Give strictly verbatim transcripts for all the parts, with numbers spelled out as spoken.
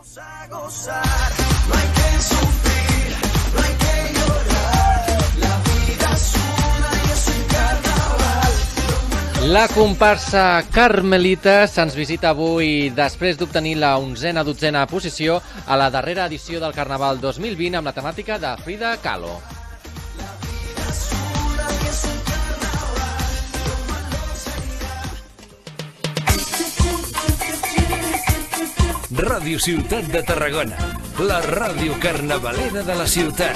La comparsa Carmelites ens visita avui després d'obtenir la onzena dotzena posició a la darrera edició del Carnaval dos mil vint amb la temàtica de Frida Kahlo. Ràdio Ciutat de Tarragona, la ràdio carnavalera de la ciutat.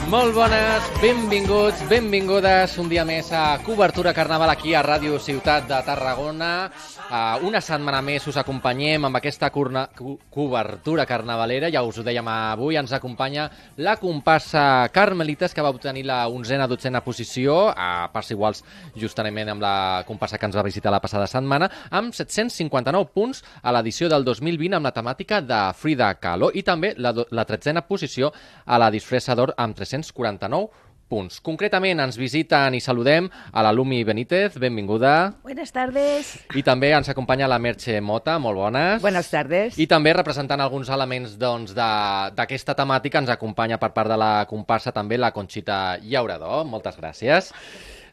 Molt bones, benvinguts, benvingudes un dia més a Cobertura Carnaval aquí a Ràdio Ciutat de Tarragona. Uh, una setmana més us acompanyem amb aquesta curna, co cobertura carnavalera. Ja us ho dèiem avui, ens acompanya la comparsa Carmelites, que va obtenir la onzena dotzena posició, a parts iguals justament amb la comparsa que ens va visitar la passada setmana, amb set-cents cinquanta-nou punts a l'edició del dos mil vint amb la temàtica de Frida Kahlo, i també la, la tretzena posició a la disfressa d'or amb tres-cents quaranta-nou punts. Concretament ens visiten i saludem a la Lumi Benítez, benvinguda. Buenas tardes. I també ens acompanya la Merche Mota, molt bones. Buenas tardes. I també representant alguns elements doncs, d'aquesta temàtica ens acompanya per part de la comparsa també la Conxita Llaurador. Moltes gràcies.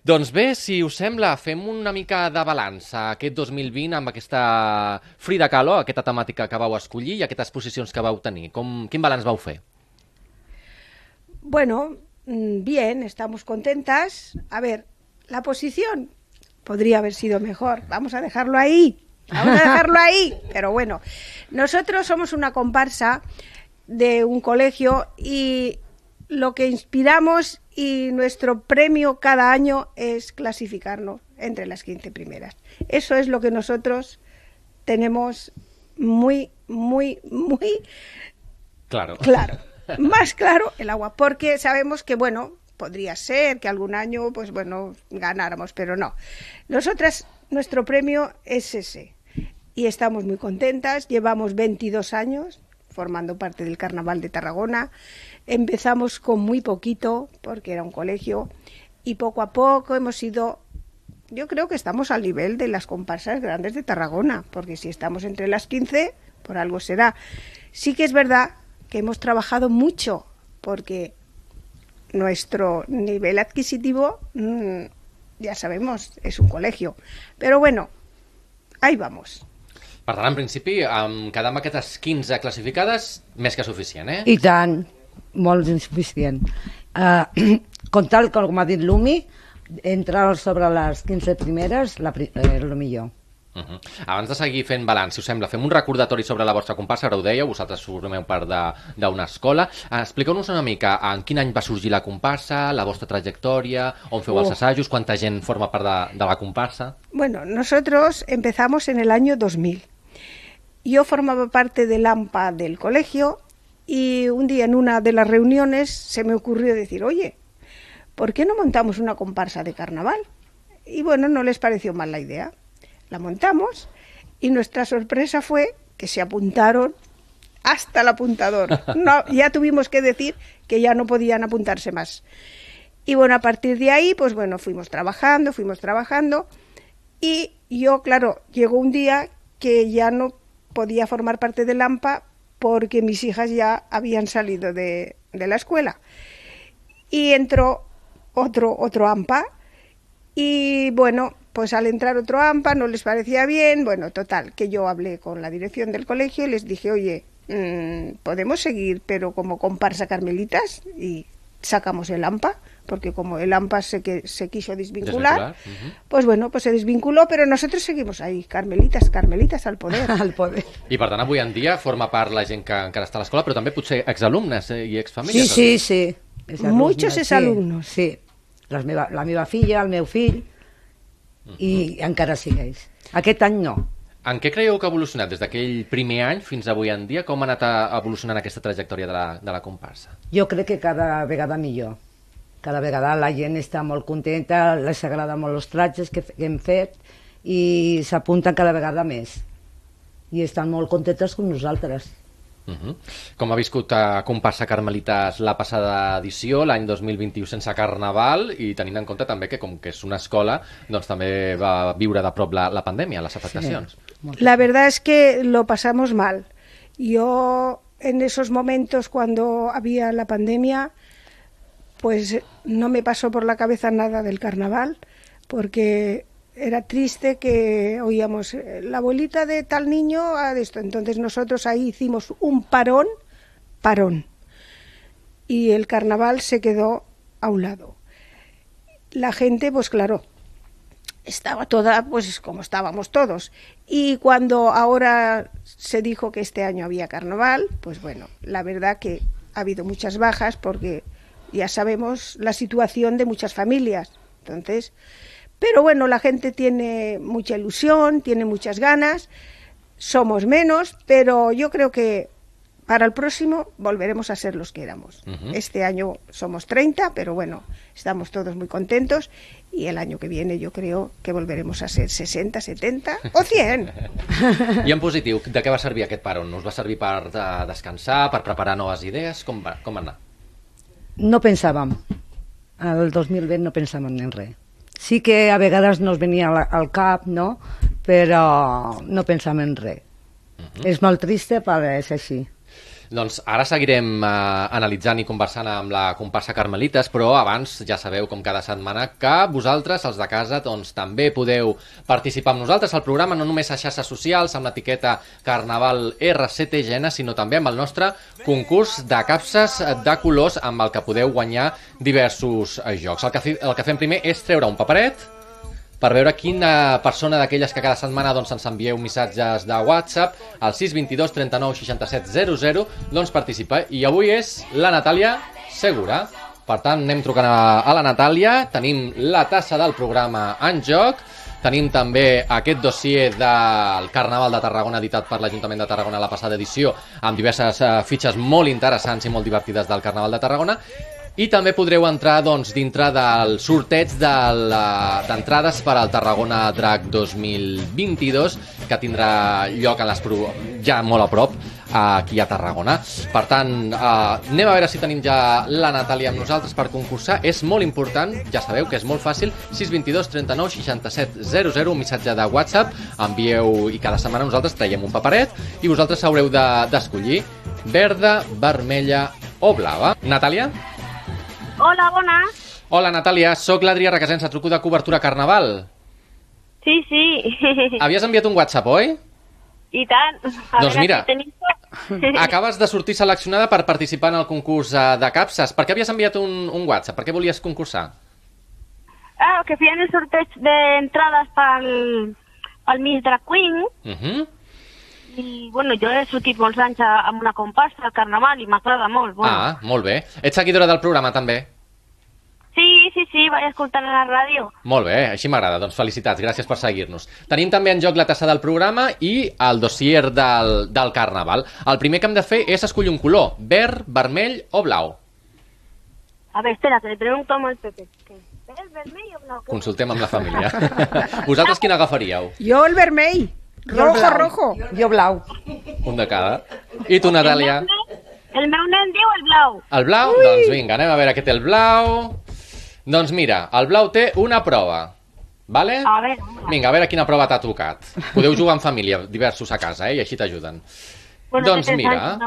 Doncs bé, si us sembla, fem una mica de balanç aquest dos mil vint amb aquesta Frida Kahlo, aquesta temàtica que vau escollir i aquestes posicions que vau tenir. Com, quin balanç vau fer? Bueno, bien, estamos contentas. A ver, la posición podría haber sido mejor. Vamos a dejarlo ahí, vamos a dejarlo ahí. Pero bueno, nosotros somos una comparsa de un colegio y lo que inspiramos y nuestro premio cada año es clasificarnos entre las quince primeras. Eso es lo que nosotros tenemos muy, muy, muy claro. claro. Más claro el agua, porque sabemos que, bueno, podría ser que algún año, pues bueno, ganáramos, pero no. Nosotras, nuestro premio es ese, y estamos muy contentas. Llevamos veintidós años formando parte del Carnaval de Tarragona. Empezamos con muy poquito, porque era un colegio, y poco a poco hemos ido... Yo creo que estamos al nivel de las comparsas grandes de Tarragona, porque si estamos entre las quince, por algo será. Sí que es verdad que hemos trabajado mucho, porque nuestro nivel adquisitivo, mmm, ya sabemos, es un colegio. Però bueno, ahí vamos. Per tant, en principi, amb quedar amb aquestes quinze classificades, més que suficient, eh? I tant, molt insuficient. Uh, com tal, com ha dit Lumi, entrar sobre les quinze primeres és eh, el millor. Uh -huh. Abans de seguir fent balanç, si us sembla, fem un recordatori sobre la vostra comparsa. Ara ho dèieu, vosaltres formeu part d'una escola. Expliqueu-nos una mica en quin any va sorgir la comparsa, la vostra trayectòria, on feu uh. els assajos, quanta gent forma part de, de la comparsa. Bueno, nosotros empezamos en el año dos mil. Yo formaba parte del A M P A del colegio y un día en una de las reuniones se me ocurrió decir, oye, ¿por qué no montamos una comparsa de carnaval? Y bueno, no les pareció mal la idea. La montamos y nuestra sorpresa fue que se apuntaron hasta el apuntador. No, ya tuvimos que decir que ya no podían apuntarse más. Y bueno, a partir de ahí, pues bueno, fuimos trabajando, fuimos trabajando y yo, claro, llegó un día que ya no podía formar parte del A M P A porque mis hijas ya habían salido de, de la escuela. Y entró otro, otro A M P A y bueno... Pues al entrar otro A M P A no les parecía bien, bueno, total, que yo hablé con la dirección del colegio y les dije, oye, mmm, podemos seguir, pero como comparsa Carmelitas, y sacamos el A M P A, porque como el A M P A se, que, se quiso desvincular, uh-huh. Pues bueno, pues se desvinculó, pero nosotros seguimos ahí, Carmelitas, Carmelitas al poder. al poder. I per tant, avui en dia forma part la gent que encara està a l'escola, però també potser exalumnes eh, i exfamílies. Sí, sí, sí. Muchos exalumnos. Sí, sí. La, meva, la meva filla, el meu fill, i encara segueix. Aquest any no. En què creieu que ha evolucionat des d'aquell primer any fins avui en dia? Com ha anat evolucionant aquesta trajectòria de la, de la comparsa? Jo crec que cada vegada millor. Cada vegada la gent està molt contenta, les agrada molt els tratges que, que hem fet i s'apunten cada vegada més. I estan molt contentes com nosaltres. Uh-huh. Com ha viscut a Comparsa Carmelites la passada edició, l'any dos mil vint-i-u sense Carnaval, i tenint en compte també que com que és una escola, doncs també va viure de prop la, la pandèmia, les afectacions. Sí. La verdad es que lo pasamos mal. Yo en esos momentos cuando había la pandemia, pues no me pasó por la cabeza nada del carnaval, porque era triste que oíamos la abuelita de tal niño a esto. Entonces nosotros ahí hicimos un parón, parón, y el carnaval se quedó a un lado. La gente, pues claro, estaba toda pues como estábamos todos. Y cuando ahora se dijo que este año había carnaval, pues bueno, la verdad que ha habido muchas bajas porque ya sabemos la situación de muchas familias. Entonces, pero bueno, la gente tiene mucha ilusión, tiene muchas ganas, somos menos, pero yo creo que para el próximo volveremos a ser los que éramos. Uh-huh. Este año somos treinta, pero bueno, estamos todos muy contentos y el año que viene yo creo que volveremos a ser sesenta, setenta o cien. I en positiu, de què va servir aquest parón? Us va servir per uh, descansar, per preparar noves idees? Com va, com va anar? No pensàvem. El dos mil vint no pensàvem en res. Sí que a vegades nos venia al cap, no? Però no pensàvem en res. Uh-huh. És molt trist, però és així. Doncs ara seguirem eh, analitzant i conversant amb la comparsa Carmelites, però abans ja sabeu, com cada setmana, que vosaltres, els de casa, doncs també podeu participar amb nosaltres al programa, no només a xarxes socials, amb l'etiqueta Carnaval R C T G N, sinó també amb el nostre concurs de capses de colors amb el que podeu guanyar diversos eh, jocs. El que, el que fem primer és treure un paperet per veure quina persona d'aquelles que cada setmana doncs, ens envieu missatges de WhatsApp al sis dos dos, trenta-nou, seixanta-set, zero zero, doncs participa. I avui és la Natàlia Segura. Per tant, anem trucant a, a la Natàlia, tenim la tassa del programa en joc, tenim també aquest dossier del Carnaval de Tarragona editat per l'Ajuntament de Tarragona la passada edició, amb diverses uh, fitxes molt interessants i molt divertides del Carnaval de Tarragona. I també podreu entrar doncs, dintre del sorteig d'entrades per al Tarragona Drac dos mil vint-i-dos, que tindrà lloc en les pro... ja molt a prop, aquí a Tarragona. Per tant, eh, anem a veure si tenim ja la Natàlia amb nosaltres per concursar. És molt important, ja sabeu que és molt fàcil, sis dos dos, trenta-nou, seixanta-set, zero zero, un missatge de WhatsApp, envieu i cada setmana nosaltres traiem un paperet i vosaltres haureu d'escollir de, verda, vermella o blava. Natàlia? Hola, bones. Hola, Natàlia, sóc l'Adrià Requesens, truco de Cobertura Carnaval. Sí, sí. Havies enviat un WhatsApp, oi? I tant. A doncs mira, si tenim... acabes de sortir seleccionada per participar en el concurs de capses. Per què havies enviat un, un WhatsApp? Per què volies concursar? Ah, que feien el sorteig d'entrades pel, pel Miss Drag Queen. Uh -huh. I, bueno, jo he sortit molts anys amb una comparsa al Carnaval i m'agrada molt. Bueno. Ah, molt bé. Ets seguidora del programa, també? Sí, sí, sí, vaig escoltant a la ràdio. Molt bé, així m'agrada. Doncs felicitats, gràcies per seguir-nos. Tenim també en joc la tassa del programa i el dossier del, del Carnaval. El primer que hem de fer és escollir un color, verd, vermell o blau. A ver, espera, que le pregunto al Pepe. ¿Verd, vermell o blau? Consultem amb la família. Vosaltres quin agafaríeu? Jo el vermell. Rojo, blau. rojo. Jo blau. Un de cada. I tu, Natàlia? El meu, el meu nen diu el blau. El blau? Ui. Doncs vinga, anem a veure què té el blau. Doncs mira, el blau té una prova. Vale? A veure. Vinga, a veure quina prova t'ha tocat. Podeu jugar en família, diversos a casa, eh? I així t'ajuden. Bueno, doncs mira,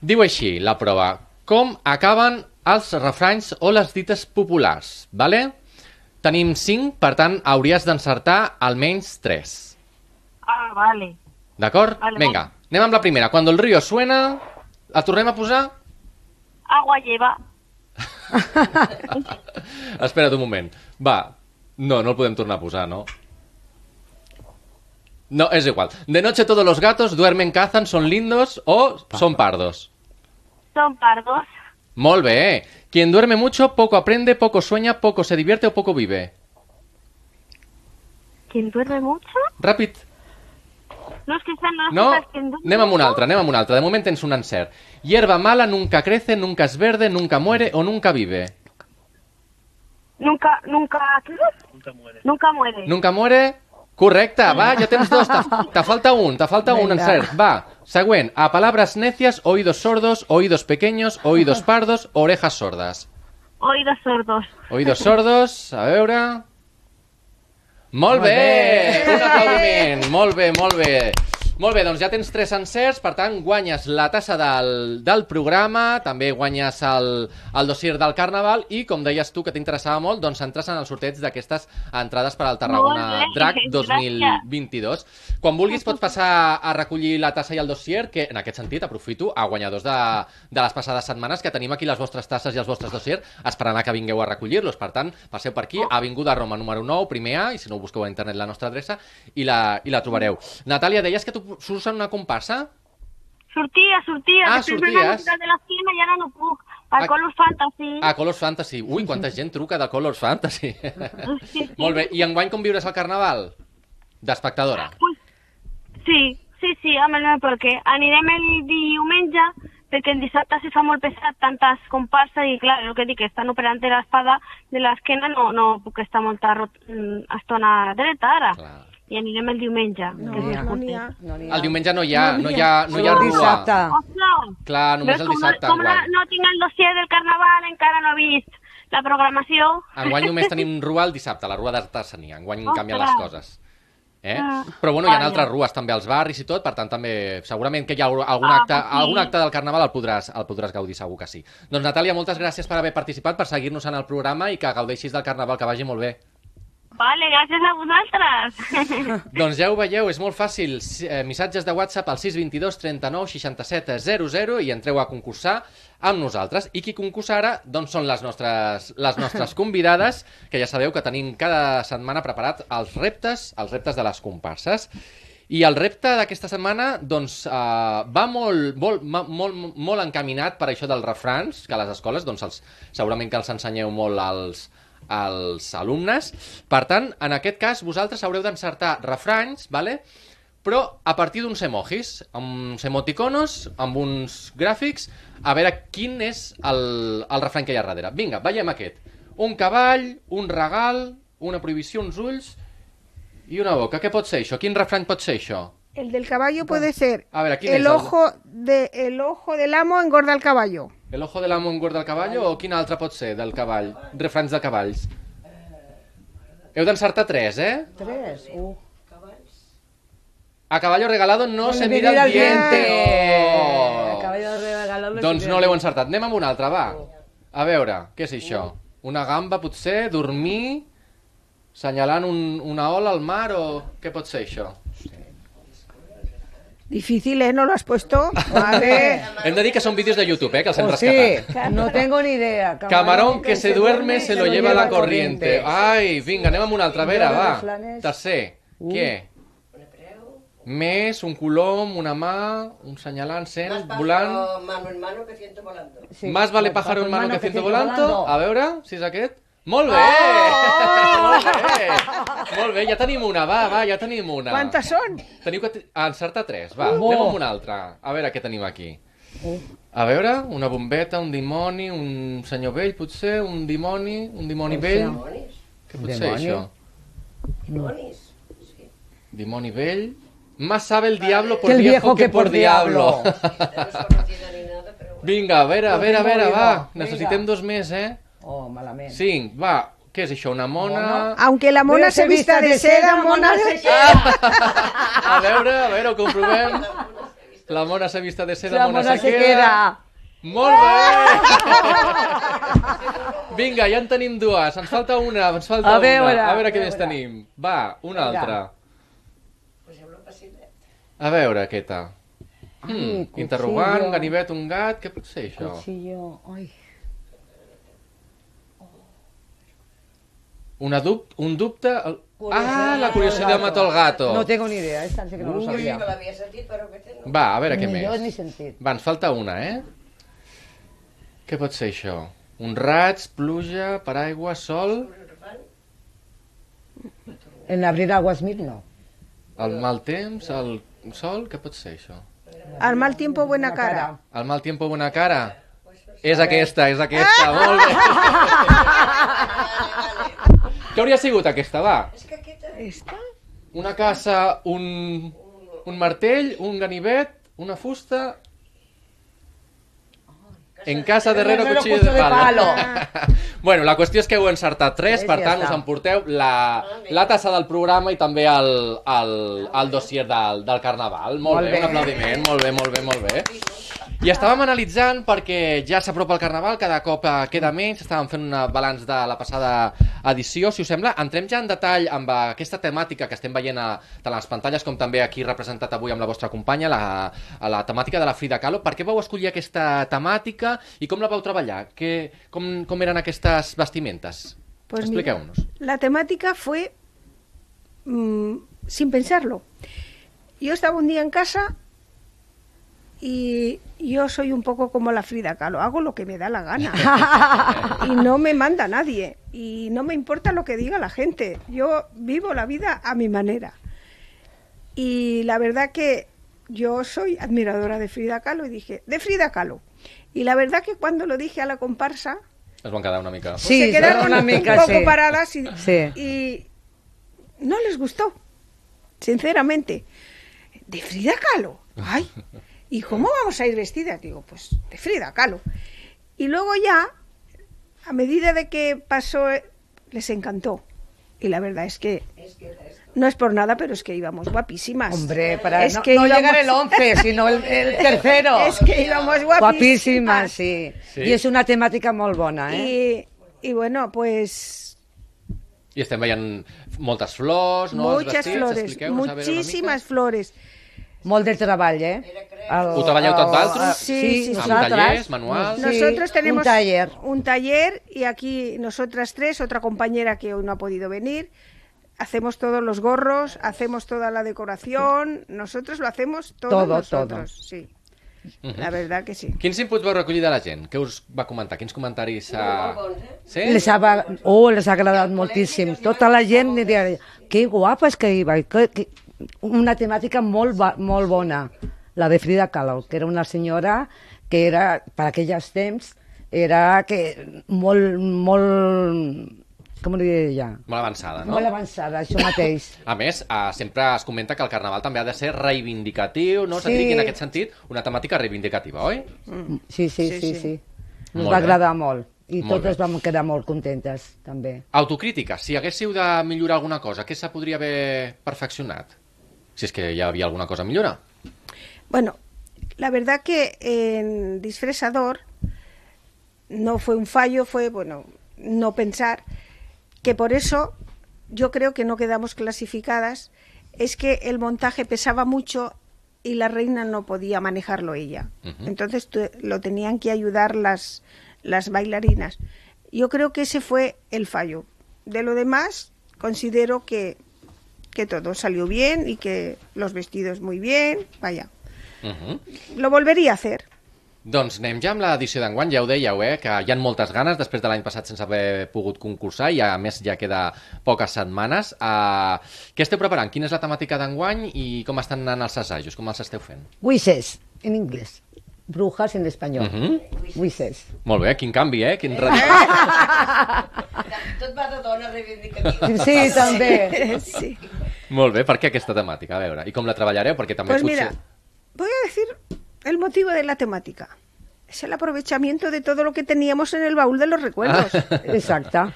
diu així la prova. Com acaben els refranys o les dites populars? Vale? Tenim cinc, per tant, hauries d'encertar almenys tres. Ah, vale. D'acord? Vale, Vinga, vale. anem amb la primera. Cuando el río suena, la tornem a posar? Agua lleva. Espera't un moment. Va, no, no el podem tornar a posar, no? No, és igual. De noche todos los gatos duermen, cazan, son lindos o son pardos. Son pardos. Molt bé. Quien duerme mucho, poco aprende, poco sueña, poco se divierte o poco vive. ¿Quien duerme mucho? Ràpid. No, es que esta no, No? es quien duerme Anem amb un mucho. altre, anem amb un altre. De moment tens un encert. Hierba mala nunca crece, nunca es verde, nunca muere o nunca vive. Nunca, nunca, ¿qué? Nunca muere. Nunca muere. Nunca muere. Correcte, va, ja tens dos. Te, te falta un, te falta un Venga. encert. Va, següent. A palabras necias, oídos sordos, oídos pequeños, oídos pardos, orejas sordas. Oídos sordos. Oídos sordos, a veure... Molt Molt bé! bé. Un aplaudiment! Molt bé, molt bé. Molt bé, doncs ja tens tres encerts, per tant, guanyes la tassa del, del programa, també guanyes el, el dossier del Carnaval i, com deies tu, que t'interessava molt, doncs entres en el sorteig d'aquestes entrades per al Tarragona Molt bé, Drac dos gràcies. mil vint-i-dos. Quan vulguis pots passar a recollir la tassa i el dossier, que en aquest sentit aprofito a guanyadors de, de les passades setmanes que tenim aquí les vostres tasses i els vostres dossiers esperant a que vingueu a recollir-los. Per tant, passeu per aquí, Avinguda Roma número nou, primer A, i si no ho busqueu a internet la nostra adreça, i la, i la trobareu. Natàlia, deies que tu surts en una comparsa? Sortia, sortia. Ah, Després sorties. m'he anat de l'esquena i ara no puc. Al Ah. Colors Fantasy. Ah, Colors Fantasy. Ui, quanta gent truca de Colors Fantasy. Molt bé. I enguany com viuràs el Carnaval? D'espectadora. Pues, sí, sí, sí, amb el meu perquè anirem el diumenge perquè el dissabte se fa molt pesat, tantes comparses i clar, el que dic, estan operant de l'espada de l'esquena, no, no puc estar molta rot- mm, estona dreta ara. Clar. I anirem el diumenge. No que és n'hi ha. més No n'hi curtet. ha. No n'hi ha. El diumenge no hi ha, no hi ha, no hi ha Solo rua. dissabte. Ostres! Clar, només Veus, el com dissabte no, com no, enguany. no tinc el dossier del Carnaval, encara no he vist la programació. Enguany només tenim rua el dissabte, la rua d'artesania. Enguany Ostres. canvien les coses. Eh? Ah, Però bueno, hi ha vaja. altres rues també als barris i tot, per tant també segurament que hi ha algun Ah, acte, pues sí. algun acte del Carnaval el podràs, el podràs gaudir, segur que sí. Doncs Natàlia, moltes gràcies per haver participat, per seguir-nos en el programa i que gaudeixis del Carnaval, que vagi molt bé. Vale, gràcies a vosaltres. Doncs ja ho veieu, és molt fàcil. Si- Eh, missatges de WhatsApp al sis dos dos, trenta-nou, seixanta-set, zero zero i entreu a concursar amb nosaltres. I qui concursa ara doncs són les nostres, les nostres convidades, que ja sabeu que tenim cada setmana preparat els reptes, els reptes de les comparses. I el repte d'aquesta setmana doncs, eh, va molt, molt, ma- molt, molt encaminat per això dels refrans, que a les escoles doncs, els, segurament que els ensenyeu molt als, als alumnes. Per tant, en aquest cas, vosaltres haureu d'encertar refranys, vale? Però a partir d'uns emojis, amb uns emoticonos, amb uns gràfics, a veure quin és el, el refrany que hi ha darrere. Vinga, veiem aquest. Un cavall, un regal, una prohibició, uns ulls i una boca. Què pot ser això? Quin refrany pot ser això? El del caballo puede ser A ver, ¿quién el es el- ojo, de, el ojo del amo engorda el caballo. El ojo de l'amo engorda el cavall o quin altre pot ser del cavall? Refranys de cavalls. Heu d'encertar tres, eh? Tres. Uh. A caballo regalado no No se le mira el mira el diente. diente. Oh! Caballo regalado Doncs se no mira l'heu el encertat. Anem amb una altra, va. A veure, què és això? Una gamba, potser? Dormir? Senyalant un, una ola al mar o què pot ser això? Difícil, ¿eh? ¿No lo has puesto? Vale. Hem de dir que són vídeos de YouTube, eh? Que els hem Oh, rescatat. sí, no tengo ni idea. Camarón que se duerme se lo lleva la corriente. Ai, vinga, anem amb una altra. A veure, Millor de va. refranes. Tercer. Uh. Què? Més, un colom, una mà, un senyalant, cent, volant... Mano en mano que ciento volando. Sí. Más vale pájaro en mano que ciento volando. A veure, si és aquest. Molt bé! Oh! Molt bé! Molt bé, ja tenim una, va, va, ja tenim una. ¿Cuántas son? Teniu que t- encertar tres, va, Uh. anem amb una altra. A veure què tenim aquí. A veure, una bombeta, un dimoni, un senyor vell, potser, un dimoni, un dimoni vell. Dimonis. Què pot ser Dimoni. això? Dimonis. Dimoni vell. Más sabe el diablo por Que el viejo viejo que que por por diablo. diablo. No es conocida ni nada, pero bueno. Vinga, a veure, a Lo veure, a tengo veure, oído. va. Vinga. Necessitem dos més, eh? Oh, malament. Cinc, va. Què és això, una mona? Aunque la mona se vista de seda, mona se... A veure, a veure, ho comprovem. La mona se vista de seda, La mona, mona se, se queda. queda. Molt bé! Vinga, ja en tenim dues. Ens falta una, ens falta A veure, una. A veure a què més veure. tenim. Va, una Vinga. altra. Pues hablo pasible. A veure, aquesta. Ai, Hmm, cuchillo. interrogant, ganivet, un gat, què pot ser això? Cuchillo. Ai. Una dub un dubte... El... Ah, la curiositat mató el gato. No tengo ni idea, esta sí que no lo Uy. sabía. No l'havia sentit, però que té no. Va, a veure què Ni jo ni més. sentit. Va, ens falta una, eh? Què pot ser això? Un raig, pluja, paraigua, sol... En abrir aguas mil, no. El mal temps, el sol... Què pot ser això? Al mal tiempo, buena cara. El mal tiempo, buena cara? És aquesta, és aquesta, molt bé. Què hauria sigut aquesta, va? És que aquesta... ¿Esta? una casa, un, un martell, un ganivet, una fusta... En casa, darrere, cuchillo de palo. Bueno, la qüestió és que heu encertat tres, per tant, us emporteu la, la tassa del programa i també el, el, el dossier del, del Carnaval. Molt bé, un aplaudiment, molt bé, molt bé, molt bé. I estàvem analitzant, perquè ja s'apropa el Carnaval, cada cop queda menys, estàvem fent un balanç de la passada edició, si us sembla. Entrem ja en detall amb aquesta temàtica que estem veient a, tant a les pantalles com també aquí representat avui amb la vostra companya, la, la temàtica de la Frida Kahlo. Per què vau escollir aquesta temàtica i com la vau treballar? Que, com, com eren aquestes vestimentes? Pues expliqueu-nos. La temática fue mmm, sin pensarlo. Yo estaba un día en casa y yo soy un poco como la Frida Kahlo, hago lo que me da la gana y no me manda nadie y no me importa lo que diga la gente, yo vivo la vida a mi manera. Y la verdad que yo soy admiradora de Frida Kahlo y dije, de Frida Kahlo. Y la verdad que cuando lo dije a la comparsa, es van quedar una mica... Pues sí, se quedaron una mica, un poco sí. paradas y, sí. y no les gustó, sinceramente. ¿De Frida Kahlo? Ay, ¿y cómo vamos a ir vestidas? Digo, pues de Frida Kahlo. Y luego ya, a medida de que pasó, les encantó. Y la verdad es que no es por nada, pero es que íbamos guapísimas. Hombre, para es no, que no íbamos... llegar el once, sino el, el tercero. Es que íbamos guapísimas. Guapísimas, sí. sí. I és una temàtica molt bona, eh? I, i bueno, pues... I estem veient moltes flors, no? Muchas flores, muchísimas flores. Molt de treball, eh? El, Ho treballeu tot d'altres? Sí, sí, sí. Amb tallers, manuals? Nosotros sí, tenemos un taller. un taller y aquí nosotras tres, otra compañera que hoy no ha podido venir, hacemos todos los gorros, hacemos toda la decoración, nosotros lo hacemos todo, todo nosotros, todo. sí. Uh-huh. La verdad que sí. Quins inputs vau recollir de la gent? Què us va comentar? Quins comentaris? Uh... Sí? Les ha, oh, les ha agradat moltíssim. Tota la gent diria, que guapa és que iba, que, que... una temàtica molt, molt bona, la de Frida Kahlo, que era una senyora que era, per aquells temps, era que molt, molt... com ho diria ja? Molt avançada, no? Molt avançada, això mateix. A més, eh, sempre es comenta que el Carnaval també ha de ser reivindicatiu, no? Sí. I en aquest sentit, una temàtica reivindicativa, oi? Mm. Sí, sí, sí, sí. sí. Ens Molt va bé. agradar molt. I Molt totes bé. vam quedar molt contentes, també. Autocrítica, si haguéssiu de millorar alguna cosa, què se podria haver perfeccionat? Si és que hi havia alguna cosa a millorar. Bueno, la verdad que en Disfresador no fue un fallo, fue, bueno, no pensar... que por eso yo creo que no quedamos clasificadas, es que el montaje pesaba mucho y la reina no podía manejarlo ella. Uh-huh. Entonces tu, lo tenían que ayudar las, las bailarinas. Yo creo que ese fue el fallo. De lo demás, considero que, que todo salió bien y que los vestidos muy bien, vaya. Uh-huh. Lo volvería a hacer. Doncs anem ja amb l'edició d'enguany, ja ho dèieu, eh, que hi ha moltes ganes després de l'any passat sense haver pogut concursar i a més ja queda poques setmanes. Uh, què esteu preparant? Quina és la temàtica d'enguany i com estan anant els assajos? Com els esteu fent? Wishes, en anglès. Brujas en espanyol. Uh-huh. Wishes. Molt bé, quin canvi, eh? Quin... Tot va de dona reivindicativa. Sí, també. Sí. Molt bé, per què aquesta temàtica? A veure, i com la treballareu? Perquè també pues potser... mira, voy a decir el motivo de la temática. Es el aprovechamiento de todo lo que teníamos en el baúl de los recuerdos. Exacto.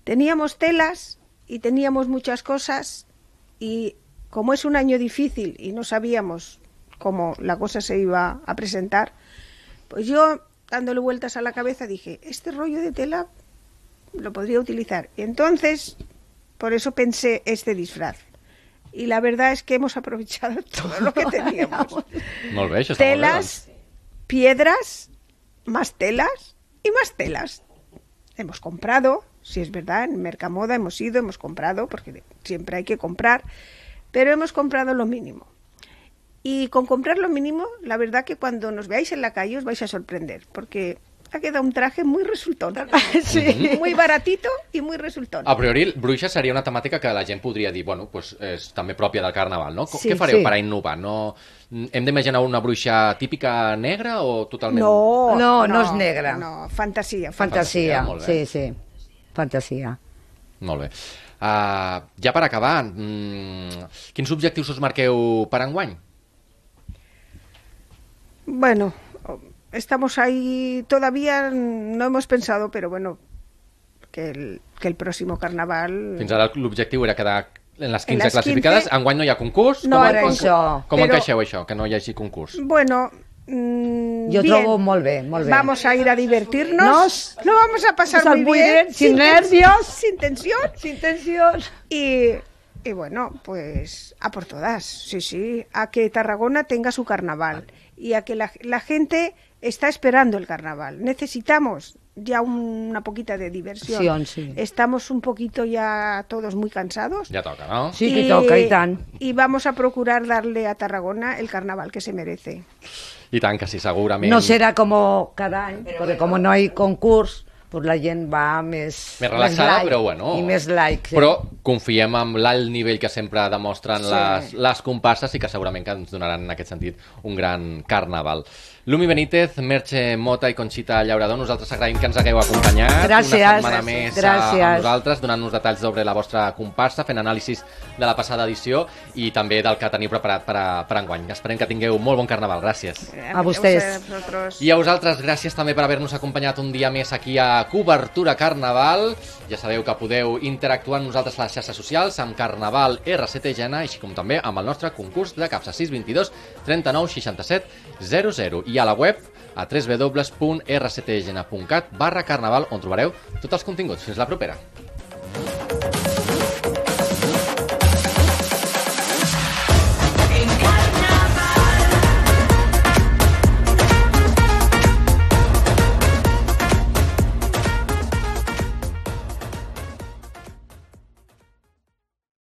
Teníamos telas y teníamos muchas cosas y como es un año difícil y no sabíamos cómo la cosa se iba a presentar, pues yo, dándole vueltas a la cabeza, dije, este rollo de tela lo podría utilizar. Y entonces, por eso pensé este disfraz. Y la verdad es que hemos aprovechado todo lo que teníamos. Molt bé, això està Telas, molt bé, piedras, más telas y más telas. Hemos comprado, si es verdad, en Mercamoda hemos ido, hemos comprado, porque siempre hay que comprar, pero hemos comprado lo mínimo. Y con comprar lo mínimo, la verdad que cuando nos veáis en la calle os vais a sorprender, porque ha quedado un traje muy resultón. Sí. Muy baratito y muy resultón. A priori, bruixa seria una temàtica que la gent podria dir, bueno, pues és també pròpia del Carnaval, no? Sí, Què fareu sí. per a innovar? No... Hem d'imaginar una bruixa típica negra o totalment... No, No, no és negra. No, fantasia. Fantasia, Fantasia, molt bé. sí, sí. Fantasia. Molt bé. Uh, ja per acabar, mm, quins objectius us marqueu per enguany? Bueno, estamos ahí, todavía no hemos pensado, pero bueno, que el, que el próximo carnaval... Fins ara l'objectiu era quedar en les quinze En les classificades. quinze... Enguany no hi ha concurs? No com, hay com, concurs. com Però... encaixeu això, que no hi hagi concurs? Bueno... Mm, Yo bien. trobo molt bé, molt bé. Vamos a ir a divertirnos. Nos, lo vamos a pasar pasar muy, muy bien, bien, sin nervios. sin tensión. Sin tensión. Y, y bueno, pues a por todas, sí, sí, a que Tarragona tenga su carnaval y a que la, la gente está esperando el carnaval. Necesitamos ya una poquita de diversión. Sí, sí. Estamos un poquito ya todos muy cansados. Ja toca, no? Sí que toca, i tant. Y vamos a procurar darle a Tarragona el carnaval que se merece. I tant que sí, segurament. No será como cada año, porque como no hay concurs, pues la gent va més... Més relaxada, light, però bueno. I més like. Sí. Però confiem en l'alt nivell que sempre demostren Sí. les, les comparses i que segurament que ens donaran en aquest sentit un gran carnaval. Lumi Benítez, Merche Mota i Conxita Llaurador, nosaltres agraïm que ens hagueu acompanyat Gràcies. una setmana més Gràcies. a, a nosaltres, donant-nos detalls sobre la vostra comparsa, fent anàlisis de la passada edició i també del que teniu preparat per, a, per enguany. Esperem que tingueu molt bon carnaval. Gràcies. A vostès. A vosotros. I a vosaltres, gràcies també per haver-nos acompanyat un dia més aquí a Cobertura Carnaval. Ja sabeu que podeu interactuar amb nosaltres a les xarxes socials, amb Carnaval R C T Gena, així com també amb el nostre concurs de capsa sis dos dos, trenta-nou, seixanta-set, zero zero. I a la web a w w w punt r c t gena punt cat barra carnaval, on trobareu tots els continguts. Fins la propera.